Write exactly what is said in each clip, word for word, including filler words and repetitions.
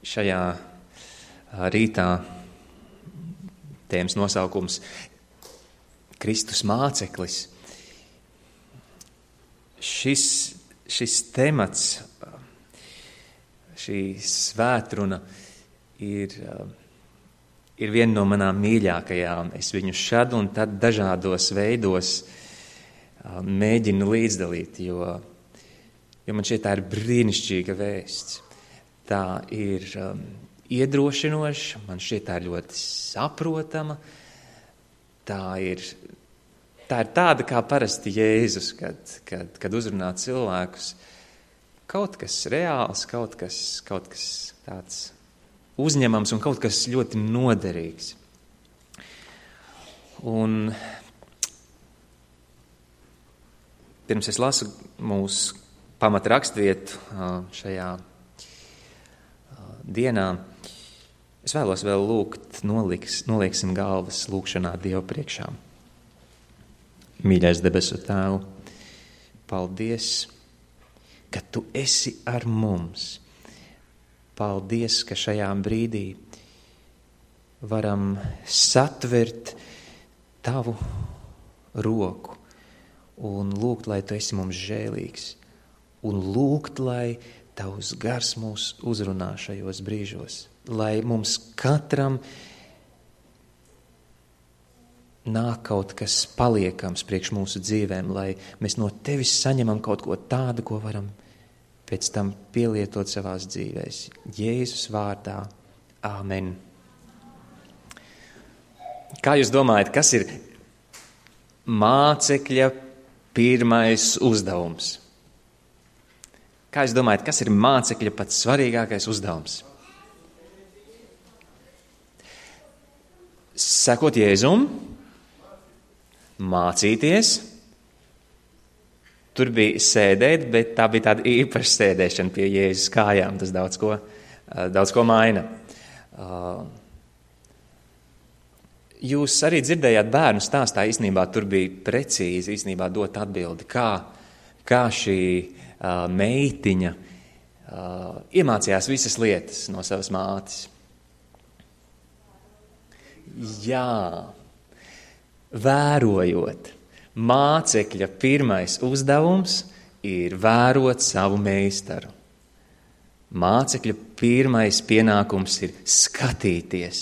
Šajā rītā tēmas nosaukums Kristus māceklis. Šis, šis temats, šī svētruna ir, ir viena no manām mīļākajām. Es viņu šad un tad dažādos veidos mēģinu līdzdalīt, jo, jo man šķiet tā ir brīnišķīga vēsts. Tā ir um, iedrošinoša, man šķiet tā ir ļoti saprotama. Tā ir, tā ir tāda kā parasti Jēzus, kad, kad, kad uzrunā cilvēkus. Kaut kas reāls, kaut kas, kaut kas tāds uzņemams un kaut kas ļoti noderīgs. Un pirms es lasu mūsu pamata rakstvietu šajā dienā, es vēlos vēl lūgt, noliks, nolieksim galvas lūgšanā Dievu priekšā. Mīļais debesu Tēvu, paldies, ka Tu esi ar mums. Paldies, ka šajā brīdī varam satvert Tavu roku un lūgt, lai Tu esi mums žēlīgs, un lūgt, lai Tavs gars mūs uzrunā šajos brīžos, lai mums katram nāk kaut kas paliekams priekš mūsu dzīvēm, lai mēs no Tevis saņemam kaut ko tādu, ko varam pēc tam pielietot savās dzīvēs. Jēzus vārdā. Āmen. Kā jūs domājat, kas ir mācekļa pirmais uzdevums? Kā jūs domājat, kas ir mācekļa pats svarīgākais uzdevums? Sekot Jēzum, mācīties. Tur bija sēdēt, bet tā bija tāda īpaša sēdēšana pie Jēzus kājām. Tas daudz ko, daudz ko maina. Jūs arī dzirdējāt bērnu stāstā, īstenībā tur bija precīzi īstenībā dot atbildi, kā, kā šī Uh, meitiņa uh, iemācījās visas lietas no savas mātes. Jā, vērojot. Mācekļa pirmais uzdevums ir vērot savu meistaru. Mācekļa pirmais pienākums ir skatīties.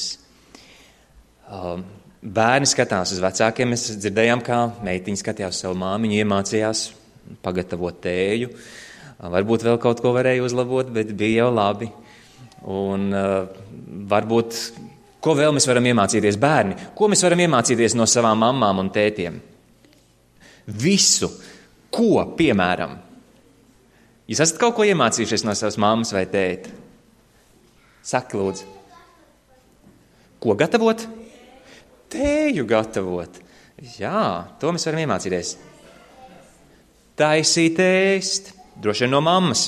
Uh, bērni skatās uz vecākiem, mēs dzirdējām, kā meitiņa skatījās uz savu māmiņu, iemācījās pagatavot tēju. Varbūt vēl kaut ko varēja uzlabot, bet bija jau labi. Un uh, varbūt, ko vēl mēs varam iemācīties bērni? Ko mēs varam iemācīties no savām mammām un tētiem? Visu. Ko, piemēram? Jūs esat kaut ko iemācījušies no savas mammas vai tēta? Saki, lūdzu. Ko gatavot? Tēju gatavot. Jā, to mēs varam iemācīties. Taisīt ēst, droši vien no mammas.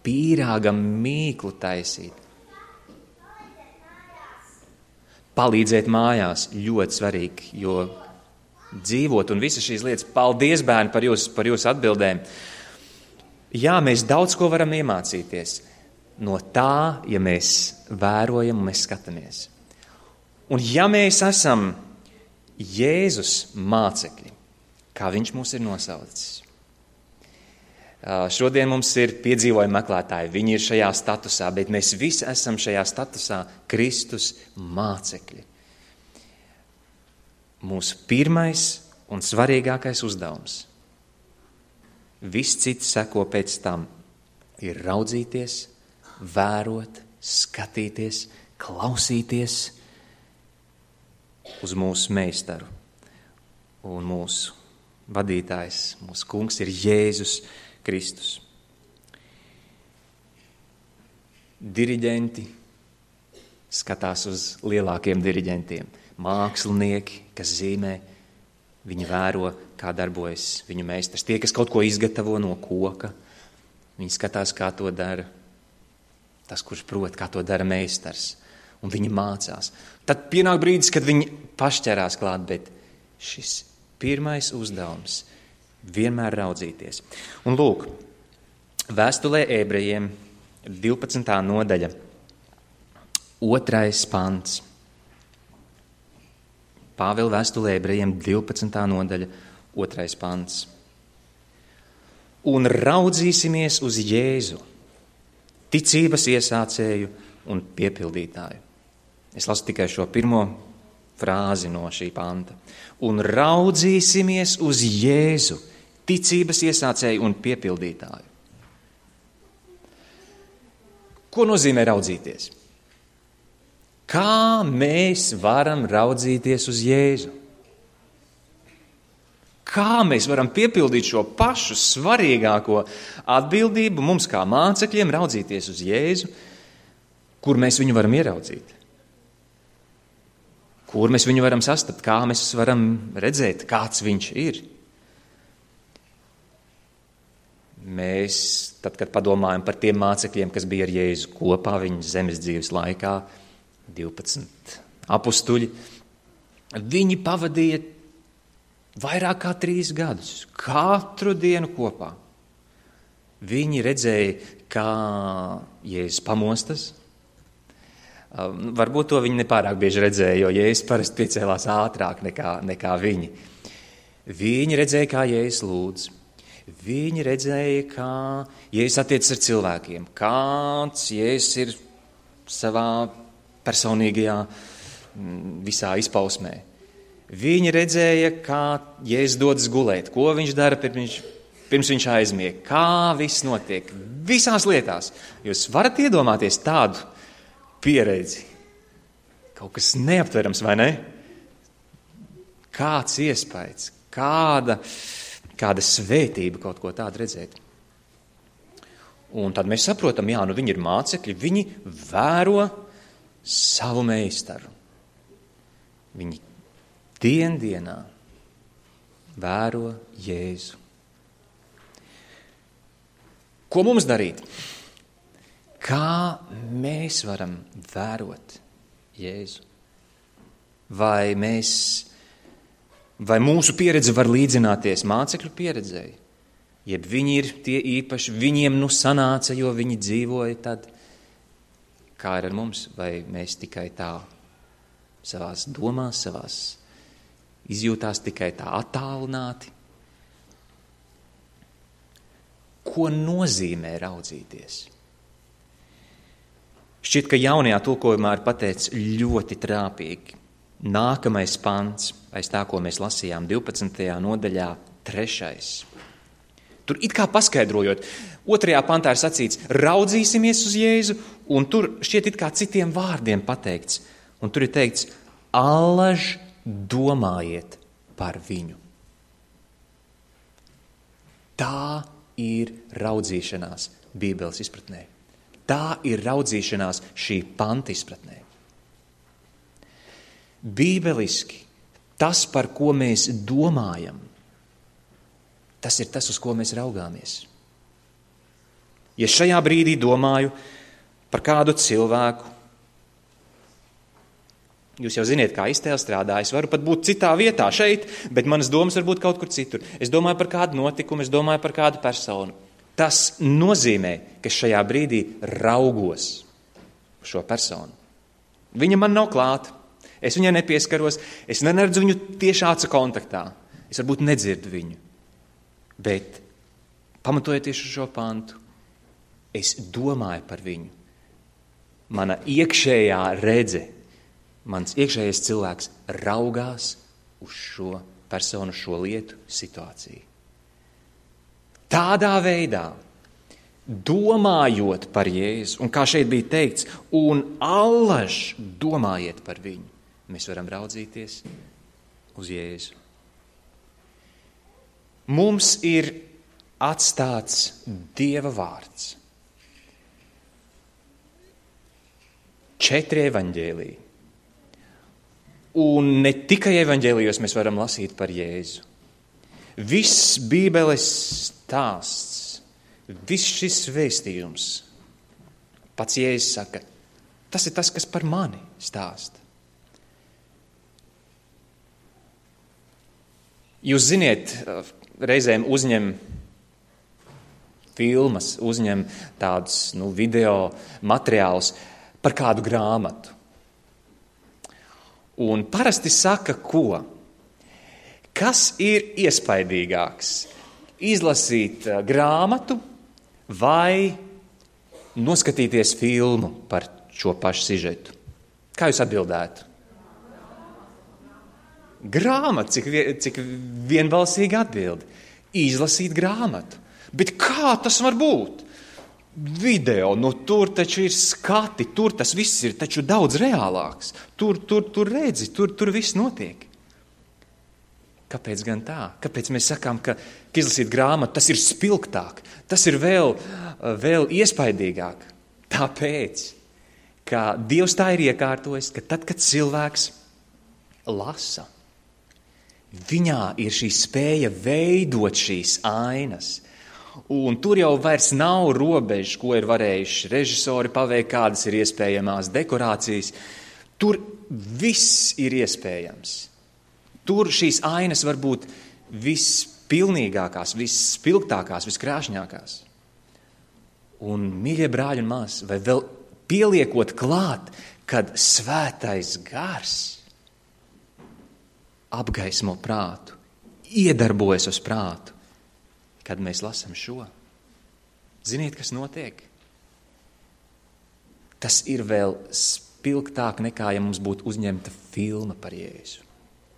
Pīrāgam mīklu taisīt. Palīdzēt mājās ļoti svarīgi, jo dzīvot un visas šīs lietas. Paldies, bērni, par jūsu, par jūsu atbildēm. Jā, mēs daudz ko varam iemācīties no tā, ja mēs vērojam un mēs skatāmies. Un ja mēs esam Jēzus mācekļi, kā viņš mūs ir nosaucis. Šodien mums ir piedzīvojumi meklētāji, viņi ir šajā statusā, bet mēs visi esam šajā statusā Kristus mācekļi. Mūsu pirmais un svarīgākais uzdevums, viss cits seko pēc tam, ir raudzīties, vērot, skatīties, klausīties uz mūsu meistaru. Un mūsu vadītājs, mūsu kungs ir Jēzus Kristus. Diriģenti skatās uz lielākiem diriģentiem. Mākslinieki, kas zīmē, viņi vēro, kā darbojas viņu meistars. Tie, kas kaut ko izgatavo no koka, viņi skatās, kā to dara tas, kurš prot, kā to dara meistars. Un viņi mācās. Tad pienāk brīdis, kad viņi pašķerās klāt, bet šis pirmais uzdevums vienmēr raudzīties. Un lūk, Vēstulē ebrejiem, divpadsmitā nodaļa, otrais pants. Pāvila vēstulē ebrejiem, divpadsmitā nodaļa, otrais pants. Un raudzīsimies uz Jēzu, ticības iesācēju un piepildītāju. Es lasu tikai šo pirmo frāzi no šī panta. Un raudzīsimies uz Jēzu, ticības iesācēju un piepildītāju. Ko nozīmē raudzīties? Kā mēs varam raudzīties uz Jēzu? Kā mēs varam piepildīt šo pašu svarīgāko atbildību mums kā mācekļiem raudzīties uz Jēzu, kur mēs viņu varam ieraudzīt? Kur mēs viņu varam sastapt? Kā mēs varam redzēt, kāds viņš ir? Mēs, tad, kad padomājam par tiem mācekļiem, kas bija ar Jēzu kopā viņa zemes dzīves laikā, divpadsmit apustuļi, viņi pavadīja vairāk kā trīs gadus, katru dienu kopā. Viņi redzēja, kā Jēzus pamostas. Varbūt to viņi nepārāk bieži redzēja, jo Jēzus parasti piecēlās ātrāk nekā, nekā viņi. Viņi redzēja, kā Jēzus lūdz. Viņi redzēja, kā Jēzus attiecas ar cilvēkiem, kāds Jēzus ir savā personīgajā visā izpausmē. Viņi redzēja, kā Jēzus dodas gulēt, ko viņš dara pirms, pirms viņš aizmieg, kā viss notiek, visās lietās. Jūs varat iedomāties tādu pieredzi. Kaut kas neaptverams, vai ne? Kāds iespējas, kāda, kāda svētība kaut ko tādu redzēt. Un tad mēs saprotam, jā, nu viņi ir mācekļi, viņi vēro savu meistaru. Viņi dien dienā vēro Jēzu. Ko mums darīt? Kā mēs varam vērot Jēzu? Vai mēs, vai mūsu pieredze var līdzināties mācekļu pieredzei? Jeb viņi ir tie īpaši, viņiem nu sanāca, jo viņi dzīvoja tad. Kā ir ar mums? Vai mēs tikai tā savās domās, savās izjūtās tikai tā attālināti? Ko nozīmē raudzīties? Šķiet, ka jaunajā tulkojumā ir pateicis ļoti trāpīgi. Nākamais pants, aiz tā, ko mēs lasījām divpadsmitajā nodaļā, trešais. Tur it kā paskaidrojot, otrajā pantā ir sacīts, raudzīsimies uz Jēzu, un tur šķiet it kā citiem vārdiem pateikts. Un tur ir teikts, allaž domājiet par viņu. Tā ir raudzīšanās Bībeles izpratnē. Tā ir raudzīšanās šī panta izpratnē. Bībeliski tas, par ko mēs domājam, tas ir tas, uz ko mēs raugāmies. Ja šajā brīdī domāju par kādu cilvēku, jūs jau ziniet, kā iztēle strādā, es varu pat būt citā vietā šeit, bet manas domas var būt kaut kur citur. Es domāju par kādu notikumu, es domāju par kādu personu. Tas nozīmē, ka šajā brīdī raugos uz šo personu. Viņa man nav klāta, es viņai nepieskaros, es neredzu viņu tieši acu kontaktā, es varbūt nedzirdu viņu. Bet, pamatojoties uz šo pantu, es domāju par viņu. Mana iekšējā redze, mans iekšējais cilvēks raugās uz šo personu, šo lietu, situāciju. Tādā veidā, domājot par Jēzu, un kā šeit bija teikts, un allaž domājiet par viņu, mēs varam raudzīties uz Jēzu. Mums ir atstāts Dieva vārds. Četri evaņģēliji. Un ne tikai evaņģēlijos mēs varam lasīt par Jēzu. Viss Bībeles stāsts, viss šis vēstījums, pats Jēzus saka, tas ir tas, kas par mani stāsta. Jūs ziniet, reizēm uzņem filmas, uzņem tādus nu, video materiālus par kādu grāmatu. Un parasti saka, ko? Kas ir iespaidīgāks? Izlasīt grāmatu vai noskatīties filmu par šo pašu sižetu? Kā jūs atbildētu? Grāmata, cik, cik vienbalsīgi atbildi. Izlasīt grāmatu. Bet kā tas var būt? Video, nu tur taču ir skati, tur tas viss ir taču daudz reālāks. Tur, tur, tur redzi, tur, tur viss notiek. Kāpēc gan tā? Kāpēc mēs sakām, ka, ka izlasīt grāmatu, tas ir spilgtāk, tas ir vēl, vēl iespaidīgāk? Tāpēc, ka Dievs tā ir iekārtojis, ka tad, kad cilvēks lasa, viņā ir šī spēja veidot šīs ainas. Un tur jau vairs nav robežu, ko ir varējuši režisori paveikt, kādas ir iespējamās dekorācijas. Tur viss ir iespējams. Tur šīs ainas var būt vispilnīgākās, visspilgtākās, viskrāšņākās. Un, mīļie brāļi un māsas, vai vēl pieliekot klāt, kad svētais gars apgaismo prātu, iedarbojas uz prātu, kad mēs lasam šo. Ziniet, kas notiek? Tas ir vēl spilgtāk nekā, ja mums būtu uzņemta filma par Jēzu.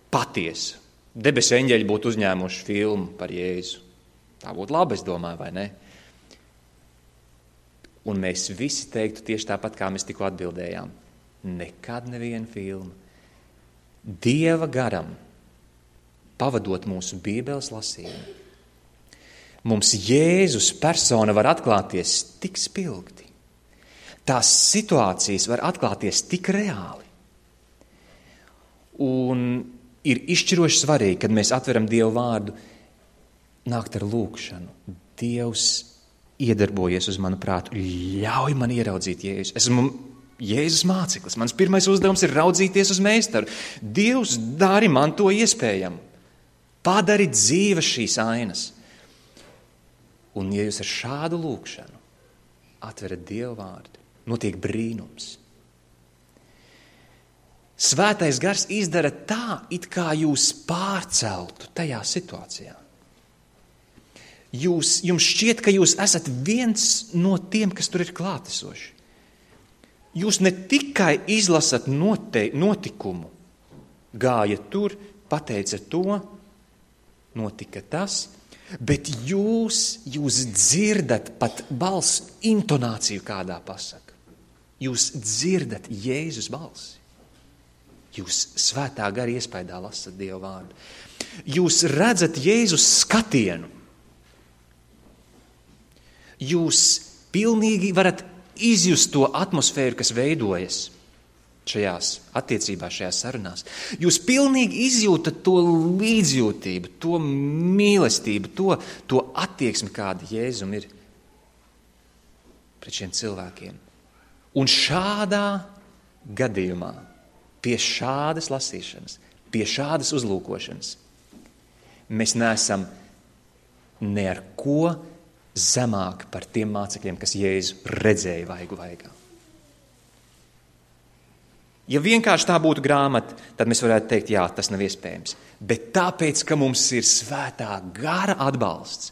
Patiesa. Debesu eņģeļi būtu uzņēmuši filmu par Jēzu. Tā būtu labi, es domāju, vai ne? Un mēs visi teiktu tieši tāpat, kā mēs tikko atbildējām. Nekad neviena filma. Dieva garam, pavadot mūsu Bībeles lasījumu, mums Jēzus persona var atklāties tik spilgti. Tās situācijas var atklāties tik reāli. Un ir izšķiroši svarīgi, kad mēs atveram Dievu vārdu, nākt ar lūgšanu. Dievs iedarbojies uz manu prātu, ļauj man ieraudzīt Jēzu. Esmu Jēzus māceklis. Mans pirmais uzdevums ir raudzīties uz meistaru. Dievs, dari man to iespējamu. Padari dzīves šīs ainas. Un, ja jūs ar šādu lūgšanu atverat Dievu vārdu, notiek brīnums. Svētais gars izdara tā, it kā jūs pārceltu tajā situācijā. Jūs, jums šķiet, ka jūs esat viens no tiem, kas tur ir klātesoši. Jūs ne tikai izlasat note, notikumu, gāja tur, pateica to, notika tas, bet jūs, jūs dzirdat pat balss intonāciju kādā pasaka. Jūs dzirdat Jēzus balsi. Jūs svētā gara iespaidā lasat Dievu vārdu. Jūs redzat Jēzus skatienu. Jūs pilnīgi varat izjust to atmosfēru, kas veidojas šajās attiecībās, šajās sarunās. Jūs pilnīgi izjūtat to līdzjūtību, to mīlestību, to, to attieksmi, kāda Jēzum ir pret šiem cilvēkiem. Un šādā gadījumā, pie šādas lasīšanas, pie šādas uzlūkošanas, mēs neesam ne ar ko zemāk par tiem mācekļiem, kas Jēzu redzēja vaigu vaigā. Ja vienkārši tā būtu grāmata, tad mēs varētu teikt, jā, tas nav iespējams. Bet tāpēc, ka mums ir svētā gara atbalsts,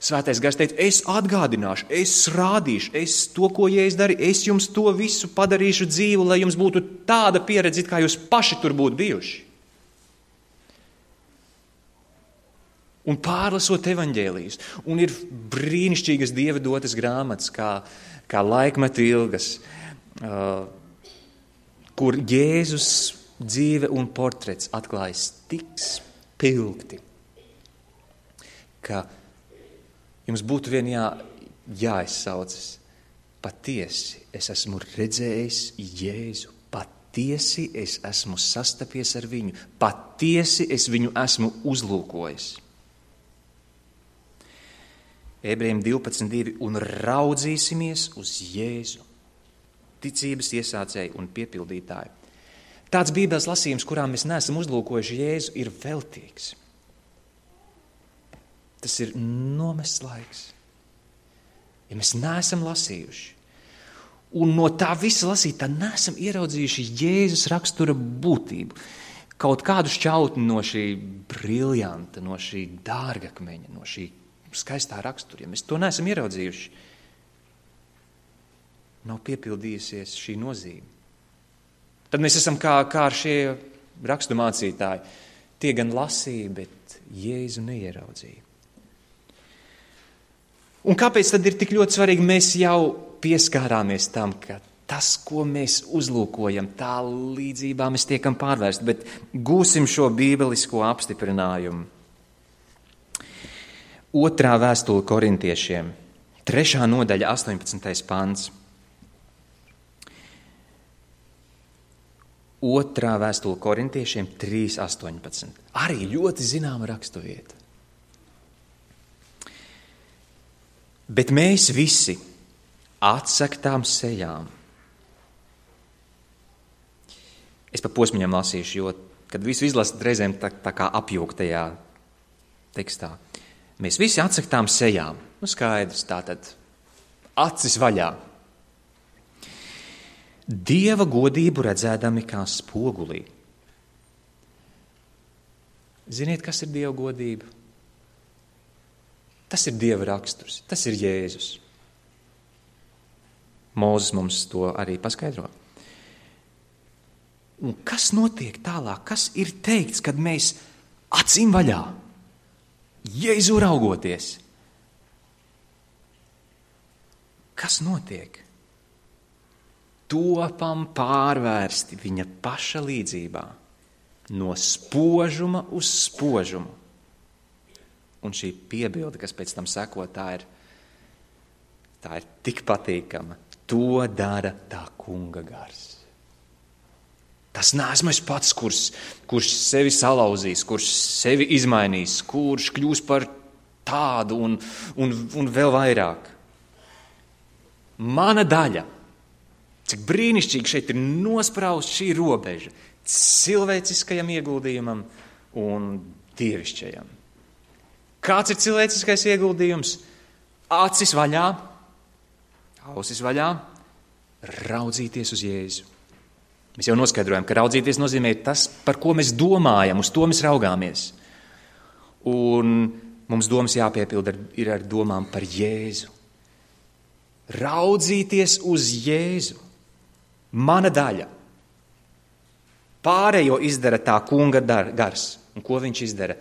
svētais gars teica, es atgādināšu, es rādīšu, es to, ko Jēzus darīja, es jums to visu padarīšu dzīvu, lai jums būtu tāda pieredze, kā jūs paši tur būtu bijuši. Un pārlasot evaņģēlijus, un ir brīnišķīgas Dieva dotas grāmatas, kā, kā laikmetu ilgas, uh, kur Jēzus dzīve un portrets atklājas tik spilgti, ka jums būtu vien jā, jāizsaucas. Patiesi es esmu redzējis Jēzu, patiesi es esmu sastapies ar viņu, patiesi es viņu esmu uzlūkojis. Ebrejiem divpadsmit divi un raudzīsimies uz Jēzu, ticības iesācēju un piepildītāju. Tāds Bībeles lasījums, kurā mēs neesam uzlūkojuši Jēzu, ir veltīgs. Tas ir nomests laiks. ja mēs neesam lasījuši, un no tā visa lasītā neesam ieraudzījuši Jēzus rakstura būtību, kaut kādu šķautni no šī briljanta, no šī dārgakmeņa, no šī skaistā rakstura, ja mēs to neesam ieraudzījuši, nav piepildījusies šī nozīme. Tad mēs esam kā, kā ar šie rakstu mācītāji. Tie gan lasīja, bet Jēzu neieraudzīja. Un kāpēc tad ir tik ļoti svarīgi? Mēs jau pieskārāmies tam, ka tas, ko mēs uzlūkojam, tā līdzībā mēs tiekam pārvērsti, bet gūsim šo bībelisko apstiprinājumu. Otrā vēstule korintiešiem, trešā nodaļa, astoņpadsmitais pants. Otrā vēstule korintiešiem, trīs astoņpadsmit. Arī ļoti zināma raksturvieta. Bet mēs visi atsaktām sejām. Es pa posmiņam lasīšu, jo, kad visu izlasat reizēm tā, tā kā apjūgtajā tekstā. Mēs visi atsaktām sejām. Nu skaidrs, tātad acis vaļā. Dieva godību redzēdami kā spogulī. Ziniet, kas ir Dieva godība? Tas ir Dieva raksturs, tas ir Jēzus. Mūzes mums to arī paskaidro. Un kas notiek tālāk? Kas ir teikts, kad mēs acīm vaļā, Jēzu raugoties? Kas notiek? Topam pārvērsti viņa paša līdzībā, no spožuma uz spožumu. Un šī piebilde, kas pēc tam seko, tā ir, tā ir tik patīkama. To dara tā kunga gars. Tas neesmu es pats, kurš, kurš sevi salauzīs, kurš sevi izmainīs, kurš kļūs par tādu un, un, un vēl vairāk. Mana daļa. Cik brīnišķīgi šeit ir nospraust šī robeža cilvēciskajam ieguldījumam un dievišķajam. Kāds ir cilvēciskais ieguldījums? Acis vaļā, ausis vaļā, raudzīties uz Jēzu. Mēs jau noskaidrojam, ka raudzīties nozīmē tas, par ko mēs domājam, uz to mēs raugāmies. Un mums domas jāpiepilda ir ar domām par Jēzu. Raudzīties uz Jēzu. Mana daļa. Pārējo izdara tā kunga gars. Un ko viņš izdara?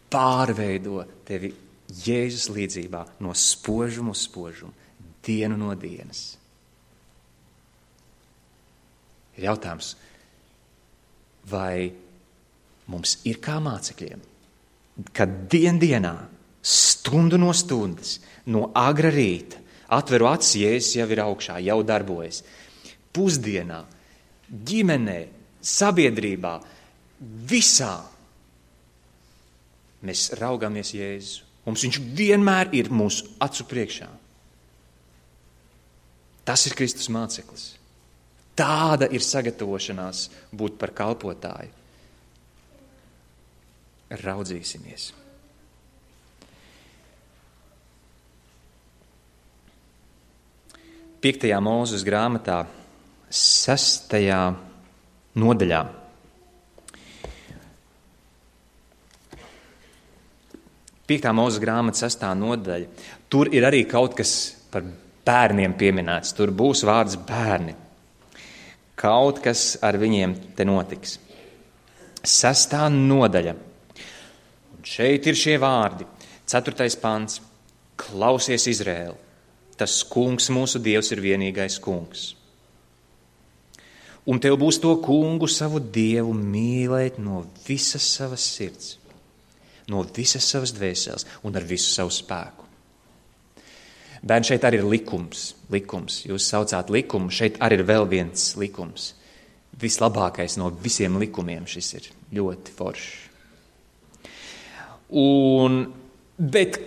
Pārveido tevi Jēzus līdzībā no spožuma uz spožumu, dienu no dienas. Ir jautājums, vai mums ir kā mācekļiem, kad dien dienā, stundu no stundas, no agra rīta, atveru acis, Jēzus jau ir augšā, jau darbojas. Pusdienā, ģimenē, sabiedrībā, visā mēs raugāmies Jēzu. Mums viņš vienmēr ir mūsu acu priekšā. Tas ir Kristus māceklis. Tāda ir sagatavošanās būt par kalpotāju. Raudzīsimies. Piektajā Mūzes grāmatā, sestajā nodaļā. Piektā Mūzes grāmata, sestā nodaļa. Tur ir arī kaut kas par bērniem pieminēts. Tur būs vārds bērni. Kaut kas ar viņiem te notiks. Sestā nodaļa. Un šeit ir šie vārdi. Ceturtais pants. Klausies, Izraēl. Tas kungs, mūsu Dievs, ir vienīgais kungs. Un tev būs to kungu, savu Dievu, mīlēt no visas savas sirds, no visas savas dvēseles un ar visu savu spēku. Bērni, šeit arī ir likums. likums. Jūs saucāt likumu, šeit arī ir vēl viens likums. Vislabākais no visiem likumiem šis ir ļoti foršs. Un, bet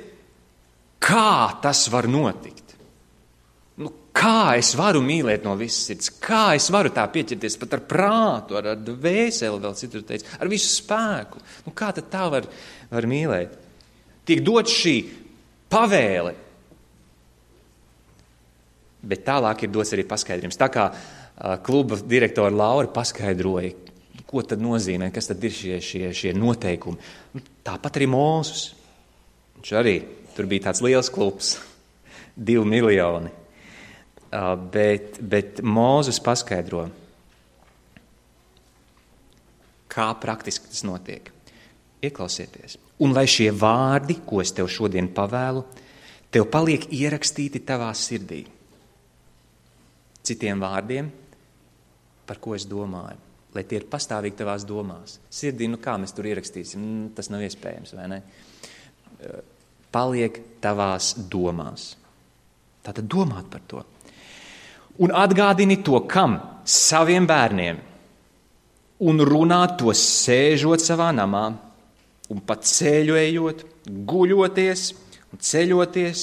kā tas var notikt? Nu, kā es varu mīlēt no visas sirds? Kā es varu tā pieķerties pat ar prātu, ar, ar dvēseli, vēl citur teica, ar visu spēku? Nu, kā tad tā var, var mīlēt? Tiek dot šī pavēle. Bet tālāk ir dots arī paskaidrojums. Tā kā uh, kluba direktora Laura paskaidroja, ko tad nozīmē, kas tad ir šie, šie, šie noteikumi. Tāpat arī Mūzus. Viņš arī, tur bija tāds liels klubs, divi miljoni. Uh, bet, bet Mūzus paskaidro, kā praktiski tas notiek. Ieklausieties. Un lai šie vārdi, ko es tev šodien pavēlu, tev paliek ierakstīti tavā sirdī. Citiem vārdiem, par ko es domāju, lai tie ir pastāvīgi tavās domās. Sirdī, nu kā mēs tur ierakstīsim, tas nav iespējams, vai ne? Paliek tavās domās. Tātad domāt par to. Un atgādini to kam? Saviem bērniem. Un runāt to sēžot savā namā, un pat ceļojot, guļoties un ceļoties,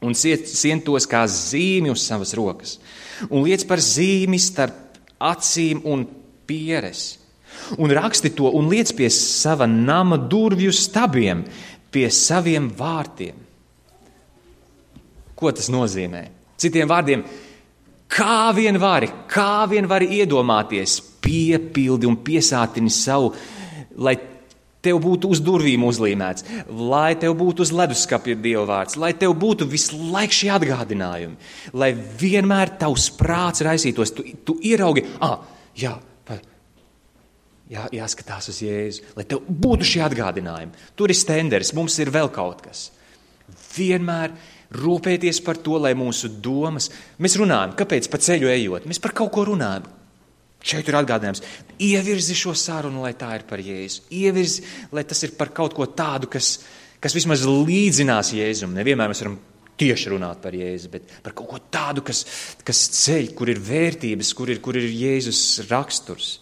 un sien tos kā zīmi uz savas rokas, un liec par zīmi starp acīm un pieres, un raksti to un liec pie sava nama durvju stabiem, pie saviem vārtiem. Ko tas nozīmē? Citiem vārdiem, kā vien vari, kā vien vari iedomāties, piepildi un piesātini savu, lai tev būtu uz durvīm uzlīmēts, lai tev būtu uz leduskapja Dieva vārds, lai tev būtu visu laiku šie atgādinājumi, lai vienmēr tavs prāts raisītos, tu, tu ieraugi, ah, jā, jā, jāskatās uz Jēzu, lai tev būtu šie atgādinājumi. Tur ir stenders, mums ir vēl kaut kas. Vienmēr rūpēties par to, lai mūsu domas, mēs runājam, kāpēc pa ceļu ejot, mēs par kaut ko runājam. Šeit ir atgādinājums, ievirzi šo sarunu, lai tā ir par Jēzu. Ievirzi, lai tas ir par kaut ko tādu, kas, kas vismaz līdzinās Jēzum. Nevienmēr mēs varam tieši runāt par Jēzu, bet par kaut ko tādu, kas, kas ceļ, kur ir vērtības, kur ir, kur ir Jēzus raksturs.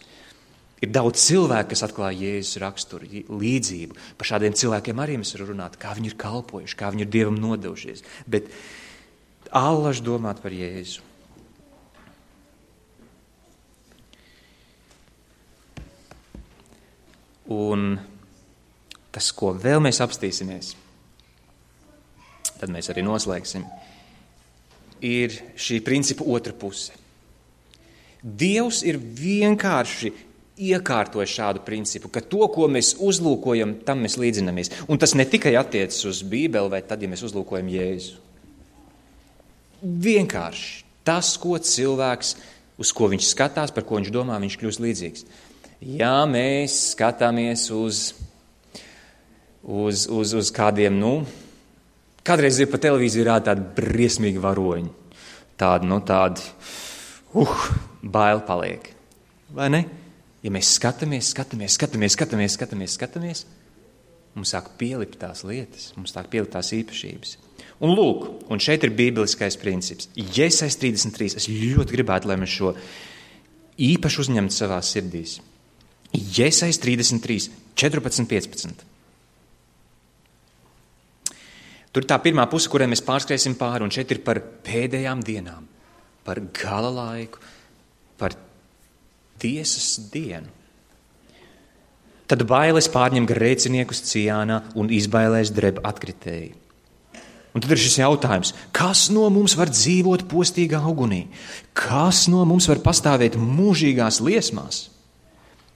Ir daudz cilvēku, kas atklāja Jēzus raksturu, līdzību. Par šādiem cilvēkiem arī mēs varam runāt, kā viņi ir kalpojuši, kā viņi ir Dievam nodevušies. Bet allaž domāt par Jēzu. Un tas, ko vēl mēs apstīsimies, tad mēs arī noslēgsim, ir šī principa otra puse. Dievs ir vienkārši iekārtojis šādu principu, ka to, ko mēs uzlūkojam, tam mēs līdzinamies. Un tas ne tikai attiecas uz Bībeli, vai tad, ja mēs uzlūkojam Jēzu. Vienkārši tas, ko cilvēks, uz ko viņš skatās, par ko viņš domā, viņš kļūst līdzīgs. Ja mēs skatāmies uz, uz, uz, uz kādiem, nu, kādreiz ir pa televīziju rāda tādi briesmīgi varoņi, tādi, nu, tādi, uh, bail paliek, vai ne? Ja mēs skatāmies, skatāmies, skatāmies, skatāmies, skatāmies, skatāmies, mums sāk pielikt tās lietas, mums sāk pielikt tās īpašības. Un lūk, un šeit ir bībeliskais princips. Jēzus trīsdesmit trīs, es ļoti gribētu, lai mēs šo īpaši uzņemtu savā sirdīs. Jēzus trīsdesmit trīs, četrpadsmit, piecpadsmit. Tur tā pirmā puse, kurai mēs pārskriesim pāri, un šeit ir par pēdējām dienām, par gala laiku, par tiesas dienu. Tad bailes pārņem grēciniekus Cijānā un izbailēs dreb atkritēji. Un tad ir šis jautājums, kas no mums var dzīvot postīgā ugunī? Kas no mums var pastāvēt mūžīgās liesmās?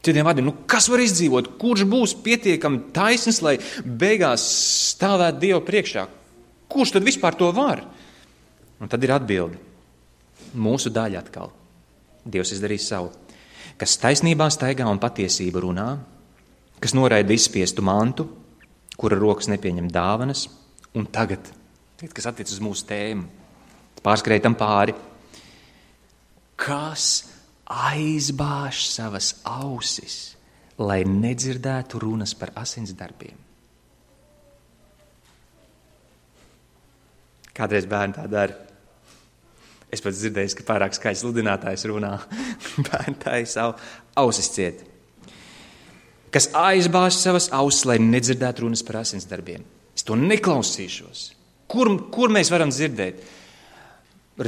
Citiem vārdiem, nu kas var izdzīvot? Kurš būs pietiekami taisns, lai beigās stāvētu Dievu priekšā? Kurš tad vispār to var? Un tad ir atbildi. Mūsu daļa atkal. Dievs izdarīs savu. Kas taisnībā staigā un patiesību runā, kas noraida izspiestu mantu, kura rokas nepieņem dāvanas, un tagad, kas attiec uz mūsu tēmu, pārskrējam pāri, kas aizbāž savas ausis, lai nedzirdētu runas par asins darbiem. Kādreiz bērni tā dara. Es pats dzirdēju, ka pārāk skaļs sludinātājs runā. Bērni tā ir savu ausis ciet. Kas aizbāž savas ausis, lai nedzirdētu runas par asins darbiem. Es to neklausīšos. Kur, kur mēs varam dzirdēt?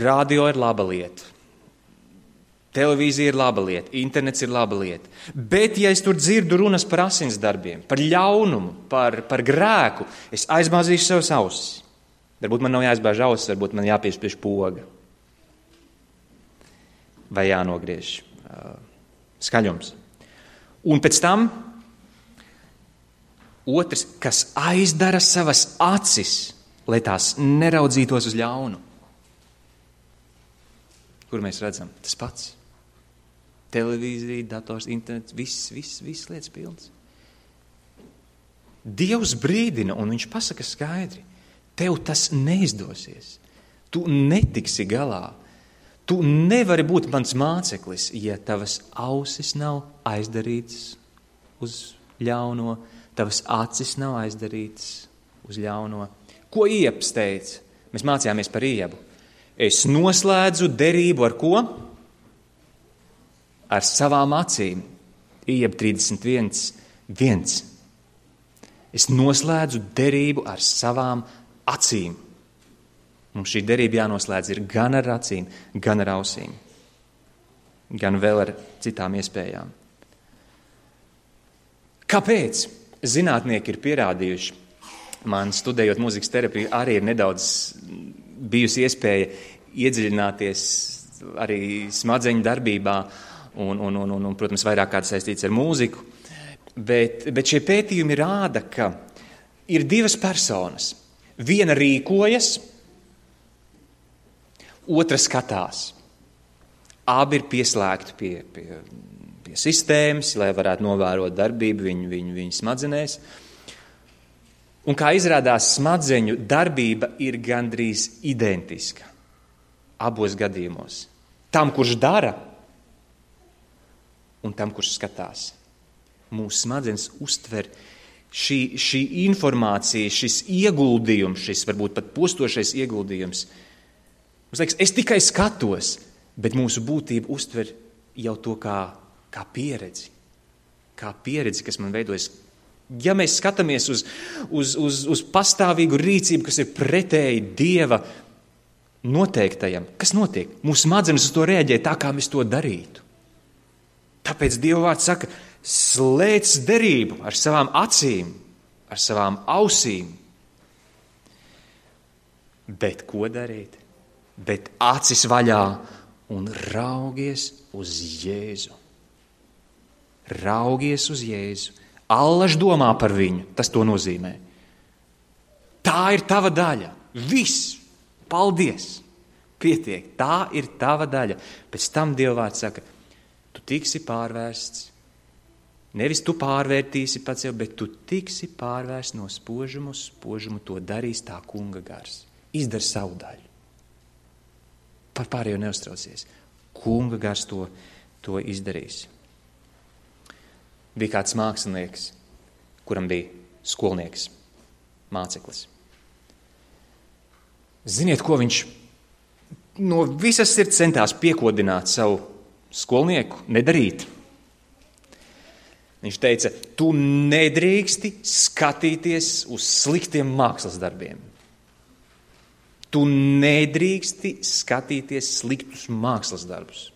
Radio ir laba lieta. Televīzija ir laba lieta, internets ir laba lieta. Bet, ja es tur dzirdu runas par asins darbiem, par ļaunumu, par, par grēku, es aizbāzīšu savas ausis. Varbūt man nav jāizbāž ausis, varbūt man jāpiespiež poga. vai jānogriež uh, skaļums. Un pēc tam otrs, kas aizdara savas acis, lai tās neraudzītos uz ļaunu. Kur mēs redzam? Tas pats. Televīzija, dators, internets, viss, viss, viss lietas pilns. Dievs brīdina, un viņš pasaka skaidri, tev tas neizdosies. Tu netiksi galā. Tu nevari būt mans māceklis, ja tavas ausis nav aizdarītas uz ļauno, tavas acis nav aizdarītas uz ļauno. Ko Ieps teica? Mēs mācījāmies par Iebu. Es noslēdzu derību ar ko? Ar savām acīm. Ieba trīsdesmit viens. Es noslēdzu derību ar savām acīm. Mums šī derība jānoslēdz ir gan ar acīm, gan ar ausīm. Gan vēl ar citām iespējām. Kāpēc? Zinātnieki ir pierādījuši. Man studējot mūzikas terapiju arī ir nedaudz bijusi iespēja iedziļināties arī smadzeņu darbībā un, un, un, un, un protams, vairāk kāds saistīts ar mūziku. Bet, bet šie pētījumi rāda, ka ir divas personas. Viena rīkojas, otra skatās. Abi ir pieslēgti pie, pie, pie sistēmas, lai varētu novērot darbību viņu, viņu, viņu smadzenēs. Un kā izrādās, smadzeņu darbība ir gandrīz identiska abos gadījumos. Tam, kurš dara, un tam, kurš skatās. Mūsu smadzenes uztver šī, šī informācija, šis ieguldījums, šis varbūt pat postošais ieguldījums. Mums liekas, es tikai skatos, bet mūsu būtība uztver jau to kā, kā pieredzi. Kā pieredzi, kas man veidojas. Ja mēs skatāmies uz, uz, uz, uz pastāvīgu rīcību, kas ir pretēji Dieva noteiktajam, kas notiek? Mūsu smadzenes uz to reaģē tā, kā mēs to darītu. Tāpēc Dieva vārds saka, slēdz derību ar savām acīm, ar savām ausīm. Bet ko darīt? Bet acis vaļā un raugies uz Jēzu. Raugies uz Jēzu. Allaž domā par viņu, tas to nozīmē. Tā ir tava daļa. Viss. Paldies. Pietiek. Tā ir tava daļa. Pēc tam Dieva vārds saka, tu tiksi pārvērsts. Nevis tu pārvērtīsi pats jau, bet tu tiksi pārvērsts no spožuma uz spožumu. To darīs tā kunga gars. Izdar savu daļu. Par pārējo neuztraucies. Kunga gars to, to izdarīs. Bija kāds mākslinieks, kuram bija skolnieks, māceklis. Ziniet, ko viņš no visas sirds centās piekodināt savu skolnieku nedarīt? Viņš teica, tu nedrīksti skatīties uz sliktiem mākslas darbiem. Tu nedrīksti skatīties sliktus mākslas darbus,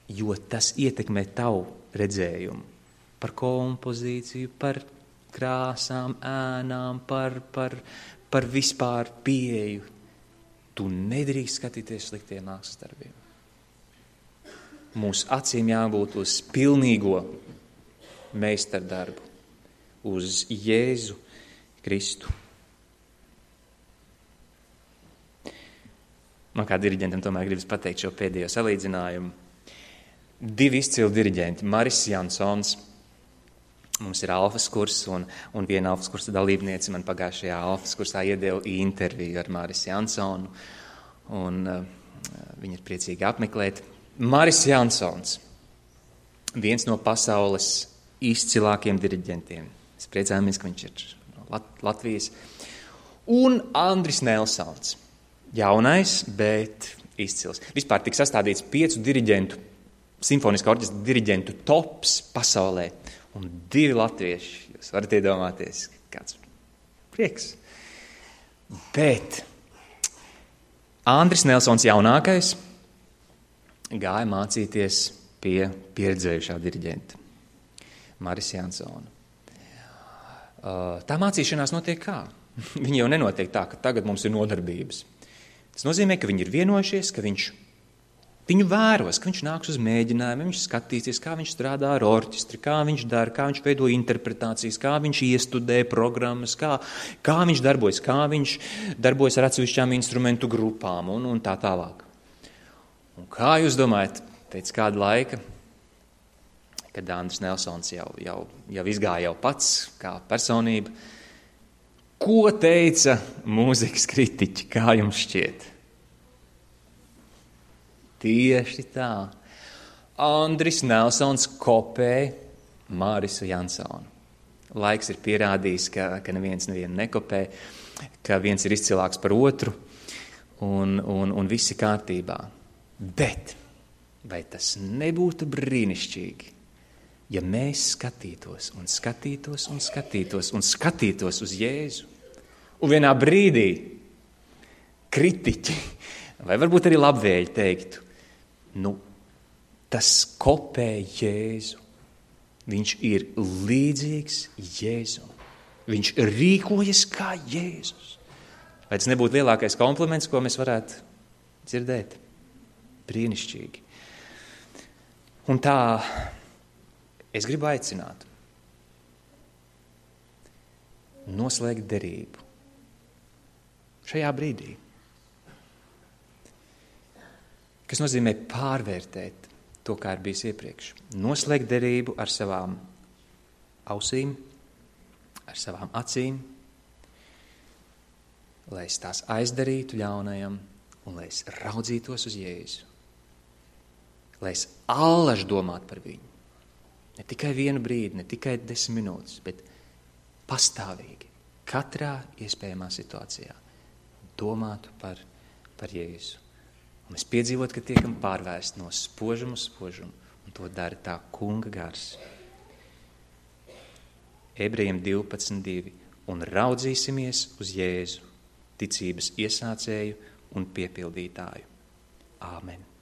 jo tas ietekmē tavu redzējumu par kompozīciju, par krāsām, ēnām, par, par, par vispār pieeju. Tu nedrīkst skatīties sliktiem mākslas darbiem. Mūsu acīm jābūt uz pilnīgo meistardarbu, uz Jēzu Kristu. Man kā diriģentam tomēr gribas pateikt šo pēdējo salīdzinājumu. Divi izcili diriģenti, Maris Jansons, mums ir alfas kurs, un, un viena alfas kursa dalībniece man pagājušajā alfas kursā iedeva interviju ar Maris Jansonu, un uh, viņi ir priecīgi apmeklēt. Maris Jansons, viens no pasaules izcilākiem diriģentiem. Es priecājamies, ka viņš ir no Lat- Latvijas. Un Andris Nelsons, jaunais, bet izcils. Vispār tik sastādīts piecu diriģentu, simfoniskā orķestra diriģentu tops pasaulē, un divi latvieši. Jūs varat iedomāties, kāds prieks. Bet Andris Nelsons jaunākais gāja mācīties pie pieredzējušā diriģenta Maris Jansona. Tā mācīšanās notiek kā? Viņa jau nenotiek tā, ka tagad mums ir nodarbības. Tas nozīmē, ka viņi ir vienojušies, ka viņš Viņu vēros, ka viņš nāks uz mēģinājumu, viņš skatīsies, kā viņš strādā ar orķestri, kā viņš dara, kā viņš veido interpretācijas, kā viņš iestudē programmas, kā, kā viņš darbojas, kā viņš darbojas ar atsevišķām instrumentu grupām un, un tā tālāk. Un kā jūs domājat, pēc kāda laika, kad Andris Nelsons jau, jau, jau izgāja jau pats kā personība, ko teica mūzikas kritiķi, kā jums šķiet? Tieši tā. Andris Nelsons kopēja Mārisu Jansonu. Laiks ir pierādījis, ka, ka neviens nevienu nekopē, ka viens ir izcilāks par otru un, un, un viss ir kārtībā. Bet vai tas nebūtu brīnišķīgi, ja mēs skatītos un skatītos un skatītos un skatītos uz Jēzu un vienā brīdī kritiķi vai varbūt arī labvēļi teiktu, nu, tas kopē Jēzu. Viņš ir līdzīgs Jēzum. Viņš rīkojas kā Jēzus. Vai tas nebūtu lielākais kompliments, ko mēs varētu dzirdēt? Brīnišķīgi. Un tā es gribu aicināt noslēgt derību šajā brīdī. Kas nozīmē pārvērtēt to, kā ir bijis iepriekš. Noslēgt derību ar savām ausīm, ar savām acīm, lai es tās aizdarītu ļaunajam un lai es raudzītos uz Jēzu. Lai es allaž domātu par viņu. Ne tikai vienu brīdi, ne tikai desmit minūtes, bet pastāvīgi, katrā iespējamā situācijā domātu par, par Jēzu. Un mēs piedzīvot, ka tiekam pārvērst no spožuma uz spožumu, un to dara tā kunga gars. Ebrejiem divpadsmit divi. Un raudzīsimies uz Jēzu, ticības iesācēju un piepildītāju. Āmen.